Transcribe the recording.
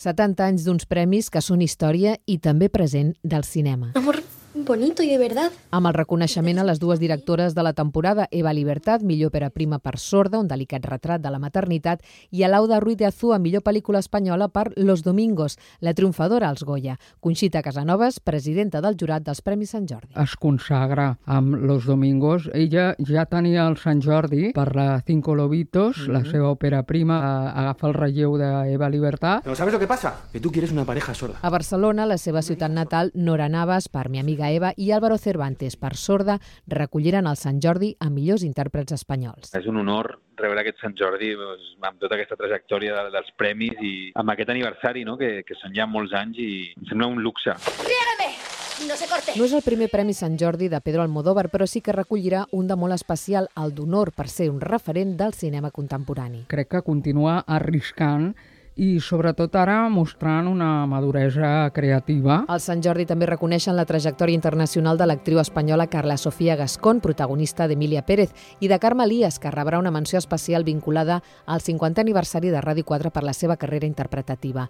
70 anys d'uns premis que són història i també present del cinema. Amor bonito y de verdad. Amb el reconeixement a les dues directores de la temporada, Eva Libertad, millor òpera prima per Sorda, un delicat retrat de la maternitat, i Alauda Ruiz de Azúa, millor pel·lícula espanyola per Los Domingos, la triomfadora als Goya. Conxita Casanovas, presidenta del jurat dels Premis Sant Jordi. Es consagra amb Los Domingos. Ella ja tenia el Sant Jordi per la Cinco Lobitos, la seva òpera prima, agafa el relleu d'Eva Libertad. Pero ¿sabes lo que pasa? Que tú quieres una pareja sorda. A Barcelona, la seva ciutat natal, Nora Navas, per Mi amiga Eva, i Álvaro Cervantes, per Sorda, recolliran el Sant Jordi a millors intèrprets espanyols. És un honor rebre aquest Sant Jordi amb tota aquesta trajectòria dels premis i amb aquest aniversari, no? que són ja molts anys i em sembla un luxe. No se corte. No és el primer Premi Sant Jordi de Pedro Almodóvar, però sí que recollirà un de molt especial, el d'honor, per ser un referent del cinema contemporani. Crec que continua arriscant i sobretot ara mostrant una maduresa creativa. Al Sant Jordi també reconeixen la trajectòria internacional de l'actriu espanyola Carla Sofía Gascón, protagonista d'Emília Pérez, i de Carme Elias, que rebrà una menció especial vinculada al 50è aniversari de Ràdio 4 per la seva carrera interpretativa.